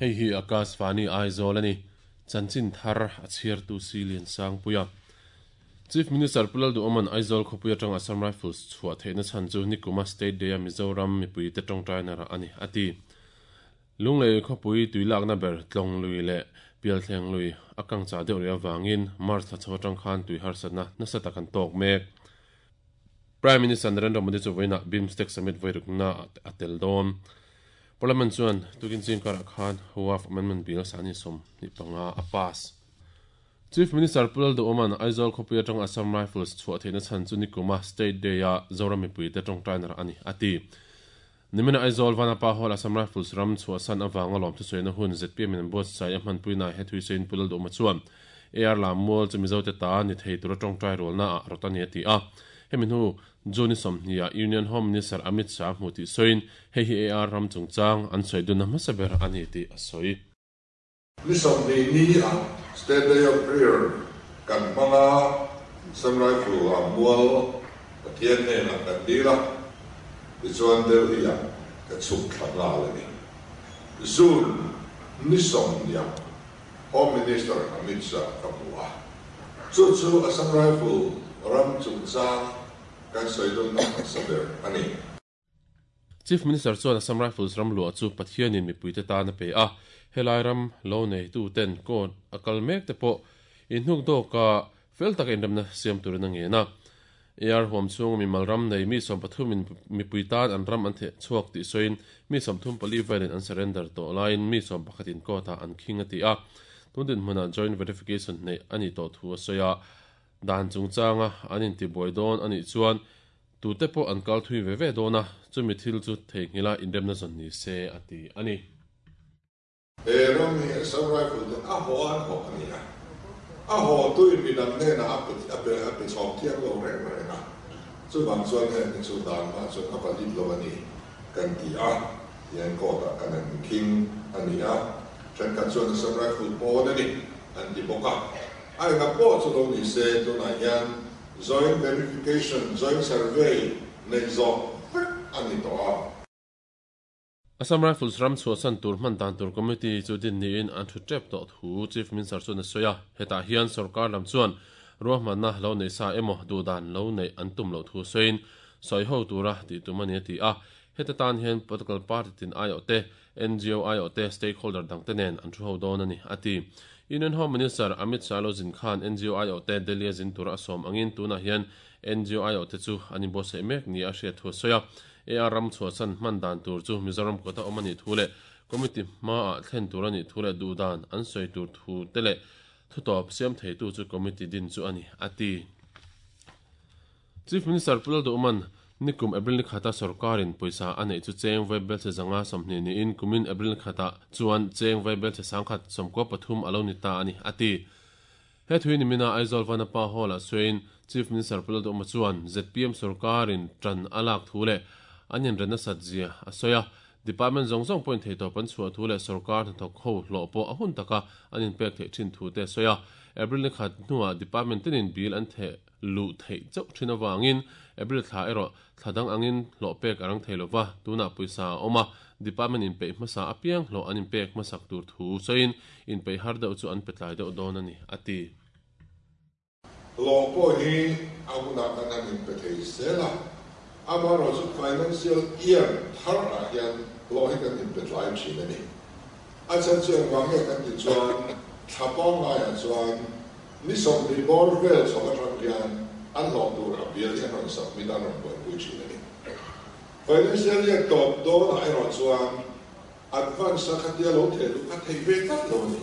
Hei hi Akashvani Aizawl a ni. Chanchin thar a chhiartu Si Liansangpuia. Chief Minister Pu Lalduhawma'n Aizawl khawpui atanga Assam Rifles chhuah theihna chhan chu nikuma State Day-a Mizoram mipuite tawngtaina rah a ni, a ti. Lunglei khawpui tui lakna ber Tlawng lui leh Pialthleng lui a kang chah deuh rih avangin March thla chho atang khan tui harsatna nasa tak an tawk mek. Prime Minister Narendra Modi chu vawiinah BIMSTEC Summit vawirukna a tel dawn. Parliament chuan tukin ching karah khan Waqf Amendment Bill sani 25 a pass. Chief Minister Pu Lalduhawma'n Aizawl khawpui atanga Assam Rifles chhuah theihna chhan chu nikuma State Day-a Zoram mipuite tawngtaina rah a ni, a ti. Nimina Aizawl Vanapa Hall Assam Rifles ram chhuahsan avanga lawm thusawiina hun zpm in an buatsaih a hmanpuinaah he thuisawiin Pu Lalduhawma chuan AR lam mual chu Mizote ta ni thei tura tawngtai rualna ah rawt a ni a ti a. Hemi hnu June 20 ah Union Home Minister Amit Shah hmu tih sawiin hei hi AR ram chungchang an sawi dunna hmasa ber a ni tih a sawi. Ni 20 ni a State Day of Prayer kan hmang a, Assam Rifle ah mual Pathian hnenah kan dil a, tichuan Delhi ah ka chhuk thla nghal a ni. June ni 20 ah Home Minister Amit Shah ka hmu a, chu chu Assam Rifle ram chungchang kan sawi dunna hmasa ber a ni. Chief Minister chuan Assam Rifles ram luah chu Pathianin mipuite tan a pe a, helai ram lo neituten court a kal mek te pawh inhnuk dawka fel taka inremna siam turin a ngen a. AR huam chhunga mimal ram nei mi 13 in mipui tan an ram an theh chhuak tih sawiin mi 34 velin an surrender tawh laiin mi 11 in court ah an khing a ti a. Tun dinhmunah joint verification neih a nih tawh thu a sawi a, dan chungchanga an intibuai dawn a nih chuan Tute pawh an kal thui ve ve dawn a, chumi thil chu theihnghilh a inremna zawn ni se, a ti a ni. He ram hi Assam Rifle te a haw an haw a ni a, a haw tuin midang hnenah a pe a pe a pe chhawm thiam lo reng reng a, chuvang chuan heng hi chu dan hma chuan a valid lo a ni kan ti a, tihian court ah kan han khing a ni a, thenkhat chuan Assam Rifle pawn a ni an ti bawk a, a enga pawh chu lo ni se tunah hian Joint Verification, Joint Survey neih zawh vek a ni tawh a. Assam Rifles ram chhuahsan tur hman dan tur committee chu din niin an thu tep tawh thu Chief Minister chuan a sawi a. Hetah hian sorkar lam chuan ruahmanna lo neih sa emaw duhdan lo neih an tum loh thu sawiin sawi ho tura tih tum a ni a ti a. Heta tan hian political party tin aiawhte, NGO aiawhte, stakeholder dangte nen an thu ho dawn a ni, a ti. Union Home Minister Amit Shah lo zin khan NGO aiawhte Delhi-a zin tura a sawm angin tunah hian NGO aiawhte chu an inbuatsaih mek nia a hriat thu a sawi a. AR ram chhuahsan hman dan tur chu Mizoram kawta awm a nih thu leh committee hmaah thlen tur a nih thu leh duhdan an sawi tur thu te leh thutawp siam theitu chu committee din chu a ni, a ti. Chief Minister Pu Lalduhman, nikum April ni khata sorkarin pawisa a neih chu cheng vaibelchhe zanga 20 niin kumin April ni khatah chuan cheng vaibelchhe 193 a lo ni ta a ni, a ti. He thui nimina Aizawl Vanapa Hall-ah sawiin Chief Minister Pu Lalduhma chuan zpm sorkarin tan a lak thu leh an inren nasat zia a sawi a. Department zawng zawng pawhin theitawp an chhuah thu leh sorkar hnathawk ho hlawh pawh a hun taka an inpek theih thin thu te a sawi a. April ni khat hnuah department tinin bill an theh luh theih chauh thin avangin April thla erawh thla dang angin hlawh pek a rang thei lova, tunah pawisa a awm a, department inpeih hmasa apiang hlawh an inpek hmasak tur thu sawiin inpeih har deuh chu an pe tlai deuh dawn a ni, a ti. Hlawh pawh hi a hunah kan han inpe thei zel a, amaherawhchu financial year thar ah hian hlawh hi kan inpe tlai thin a ni. A chhan chu engvang nge kan tih chuan thla pangngaiah chuan Ni 20 bawr vel chho atang hian an hlawh tur a bill hi an rawn submit a, an rawn buaipui thin a ni. Financial year tawp dawnah erawh chuan advance a khatia lo theh luh kha theih ve tlat lo a ni.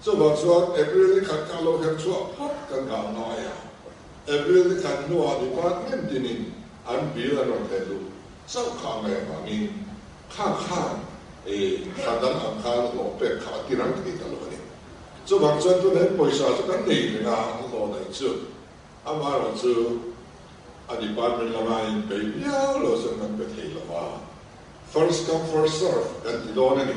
Chuvang chuan April ni khat kha lo her chhuah phawt kan nghah ngai a, April ni khat hnuah department tinin an bill an rawn theh luh chauh kha a ngaih avangin kha khan thla dang ang khan hlawh pek kha a ti rang thei ta lo a ni. Chuvang chuan tunah hian pawisa chu kan nei reng a, a hlawh daih chu. Amaherawh chu a department lama inpeih viau lo chuan kan pe thei lo va, first come first serve kan ti dawn a ni.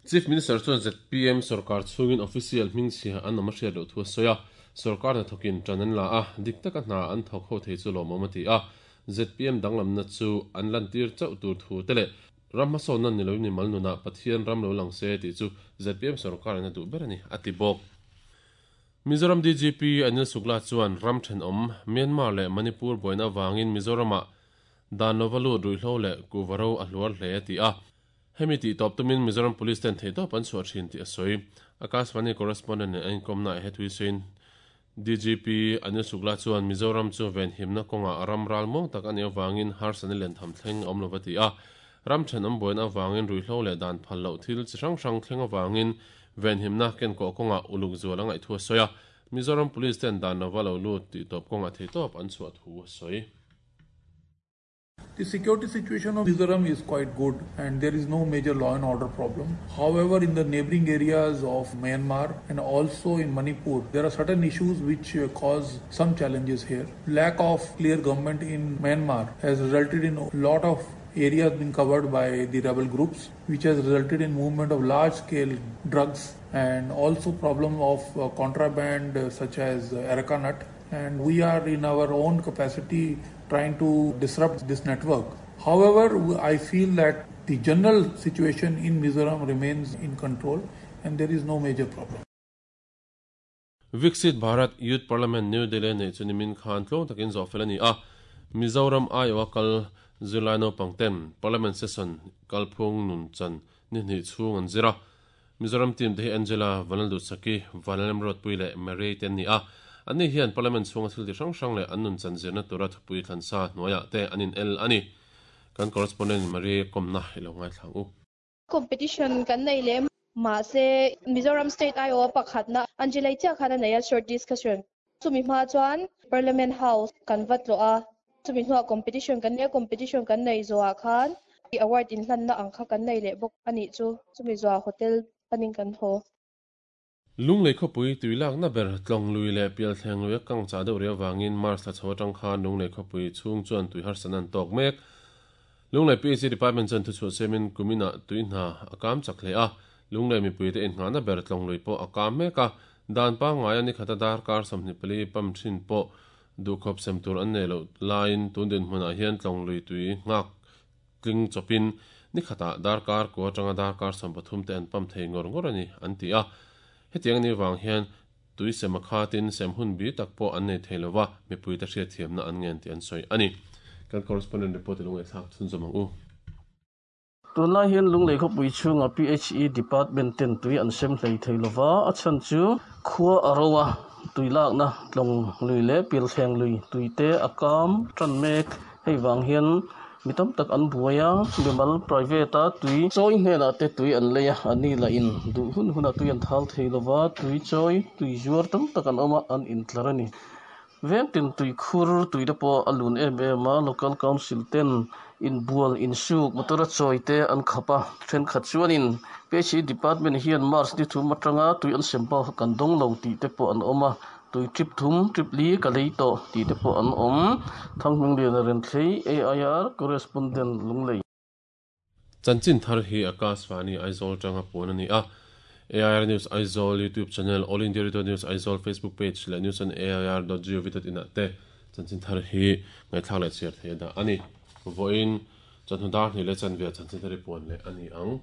Chief Minister chuan zpm sorkar chhungin official hmingchhia an awm a hriat loh thu a sawi a, sorkar hnathawkin tan an la a, dik taka hna an thawk ho thei chu lawmawm a ti a, zpm danglamna chu an lantir chauh tur thu te leh. Ram hmasawnna ni loin mimal nunah Pathian ram lo lang se tih chu zpm sorkarin a duh ber a ni, a ti bawk. Mizoram DGP Anil Sukla chuan ram thenawm Myanmar leh Manipur buaina avangin Mizoramah dan lova lut ruihhlo leh kuhva ro a hluar hle a ti a. Hemi tih tawp tumin Mizoram Police ten theihtawp an chhuah thin tih a sawi. Akashvani correspondent nen an inkawmna ah hethui sawiin DGP Anil Shukla chuan Mizoram chu venhimna kawngah ram ral muang tak a nih avangin harsatna lian tham thleng a awm lo va ti a. Ram thenawm buaina avangin ruihhlo leh dan phal loh thil chi hrang hrang thleng avangin venhimna kenkawh kawngah uluk zual a ngaih thu a sawi a. Mizoram Police ten dan lova lo lut tih tawp kawngah theihtawp an chhuah thu a sawi. The security situation of Mizoram is quite good and there is no major law and order problem. However, in the neighboring areas of Myanmar and also in Manipur, there are certain issues which uh, cause some challenges here. Lack of clear government in Myanmar has resulted in a lot of areas being covered by the rebel groups, which has resulted in movement of large scale drugs and also problem of uh, contraband uh, such as areca nut and we are in our own capacity trying to disrupt this network. However, I feel that the general situation in Mizoram remains in control and there is no major problem. Viksit Bharat Youth Parliament New Delhi neih chu nimin khan tlawng takin zawh fel a ni a, Mizoram aiawha kal zirlai naupang ten Parliament Session kalphung nun chan ni hnih chhung an zir a. Mizoram team te hi Angela Vanlalduhsaki, Vanlalremruatpui leh Mary te an ni a. Anni hian Parliament chhunga thil ti hrang hrang leh an nun chan zirna tura thupui thlansa hnuaiah te an in el a ni. Kan correspondent Marie kawmna i lo ngaithla ang u. Competition kan nei leh mahse Mizoram state aiawha pakhatna Angela-i chiah khan a nei a short discussion. Chumi hma chuan Parliament House kan va tlawh a, chumi hnuah competition kan nei a, competition kan neih zawhah khan award inhlanna ang kha kan nei leh bawk a nih chu, chumi zawhah hotel panin kan haw. Lunglei khawpui tui lakna ber Tlawng lui leh Pialthleng lui a kang chah deuh rih avangin March thla chho atang khan Lunglei khawpui chhung chuan tui harsatna an tawk mek. Lunglei PHC Department chuan thuchhuah siamin kuminah tui hna a kam chak hle a, Lunglei mipuite innghahna ber Tlawng lui pawh a kam mek a, dan pangngaia nikhata darkar 24 pump thin pawh duhkhawp sem tur an nei loh laiin tun dinhmunah hian Tlawng lui tui nghak tling chawpin nikhatah darkar kua atanga darkar 13 te an pump thei ngawr ngawr a ni an ti a. Hetiang anih vang hian tui sem a khatin sem hun bi tak pawh an nei thei lova, mipuite hriatthiamna an ngen tih an sawi a ni. Kan correspondent report i lo ngaihthlak chhunzawm ang u. Tunlai hian Lunglei khawpui chhungah PHE Department ten tui an sem hlei thei lova, a chhan chu khua a ro a, tui lakna tlawng lui leh pilthleng lui tui te a kam tan mek. Hei vang hian mi tam tak an buai a, mimal private a tui chawi hnenah te tui an lei a, a ni lah in duh hun hunah tui an thal thei lova, tui chawi, tui zuar tam tak an awm a, an intlar a ni. Veng tin tui khur tui te pawh a lun em em a, local council ten inbual, insuk, motor a chawi te an khap a, thenkhat chuanin PHE department hian March ni thum atanga tui an sem bak kha kan dawng lo tih te pawh an awm a, tui trip thum, trip li ka lei tawh tih te pawh an awm. Thanghmingliana Renthlei, AIR Correspondent, Lunglei. Chanchin thar hi Akashvani Aizawl tanga puan a ni a. AIR News Aizawl YouTube channel, All India Radio News Aizawl Facebook page leh news on air dot gov dot in ah te chanchin thar hi ngaihthlak leh chhiar theih a dah a ni. Vawiin chawhnu dar hnih leh chanve ah chanchin thar hi puan leh a ni ang.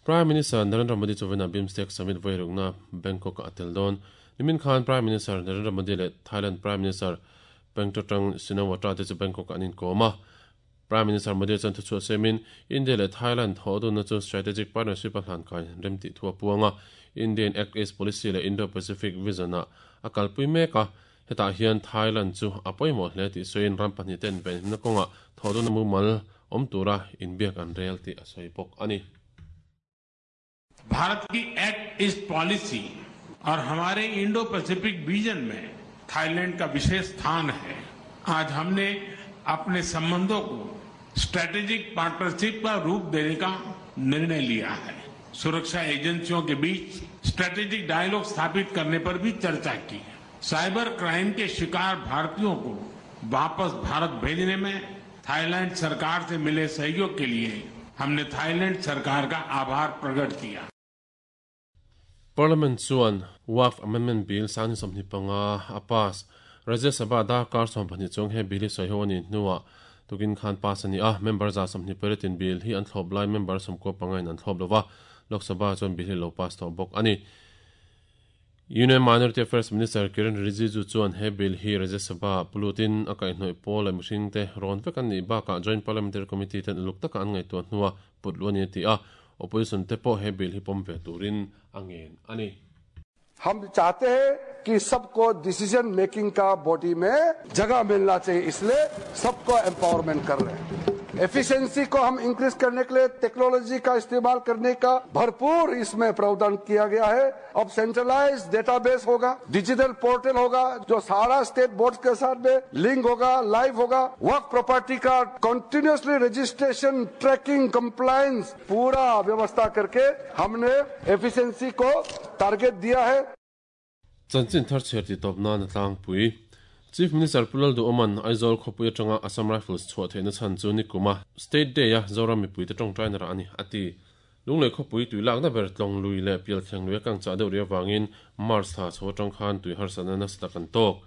Prime Minister Narendra Modi chuan BIMSTEC Summit vairukna Bangkok ah a tel dawn. Nimin khan Prime Minister Narendra Modi leh Thailand Prime Minister Paetongtarn Shinawatra te chu Bangkok ah an inkawm a. Prime Minister Modi chuan thuchhuah siamin India leh Thailand thawhdunna chu strategic partnership a hlankai rem tih thu a puang a, Indian Act East Policy leh Indo-Pacific Vision-ah a kalpui mek a, hetah hian Thailand chu a pawimawh hle tih sawiin ram pahnih ten venhimna kawngah thawhdunna mumal awm tura inbiak an rel tih a sawi bawk a ni. Bharat की act east policy और हमारे Indo Pacific vision में Thailand का विशेष स्थान है आज हमने अपने संबंधों को स्ट्रेटेजिक पार्टनरशिप का रूप देने का निर्णय लिया है सुरक्षा एजेंसियों के बीच स्ट्रेटेजिक डायलॉग स्थापित करने पर भी चर्चा की साइबर क्राइम के शिकार भारतीयों को वापस भारत भेजने में थाईलैंड सरकार से मिले सहयोग के लिए हमने थाईलैंड सरकार का आभार प्रकट किया। Parliament chuan Waqf Amendment Bill 2025 a pass. Rajya Sabha darkar 12 chuang he bill hi sawi ho a nih hnuah Tukin khan pass a ni a, member 128 in bill hi an thlawp lai member 95 in an thlawp lova, Lok Sabha chuan bill hi lo pass tawh bawk a ni. Union Minority Affairs Minister Kiren Rijiju chuan he bill hi Rajya Sabha pulutin a kaihhnawih pawl leh mihringte rawn vek an nih bakah Joint Parliamentary Committee ten uluk taka an ngaihtuah hnua put luh a ni a ti a, opposition te pawh he bill hi pawm ve turin a ngen a ni. हम चाहते हैं कि सबको decision making का body में जगह मिलना चाहिए, इसलिए सबको एम्पावरमेंट कर रहे हैं। एफिशिएंसी को हम इंक्रीज करने के लिए टेक्नोलॉजी का इस्तेमाल करने का भरपूर इसमें प्रावधान किया गया है। अब सेंट्रलाइज डेटाबेस होगा, डिजिटल पोर्टल होगा, जो सारा स्टेट बोर्ड के साथ में लिंक होगा, लाइव होगा। वर्क प्रॉपर्टी का continuously registration, trekking, compliance पूरा व्यवस्था करके हमने एफिशिएंसी को टारगेट दिया है। Chanchin thar chhiar tih tawp nan a tlangpui. Chief Minister Pu Lalduhoma'n Aizawl khawpui atanga Assam Rifles chhuah theihna chhan chu nikuma State Day-a Zoram mipuite tawngtaina rah a ni, a ti. Lunglei khawpui tui lakna ber tlawng lui leh pial thleng lui a kang chah deuh rih avangin March thla chho atang khan tui harsatna nasa tak an tawk.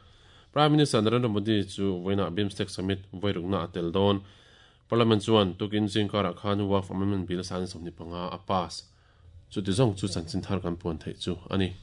Prime Minister Narendra Modi chu vawiinah BIMSTEC Summit vawirukna a tel dawn. Parliament chuan tukin zingkarah khan Waqf Amendment Bill 25 a pass. Chuti zawng chu chanchin thar kan puan theih chu a ni.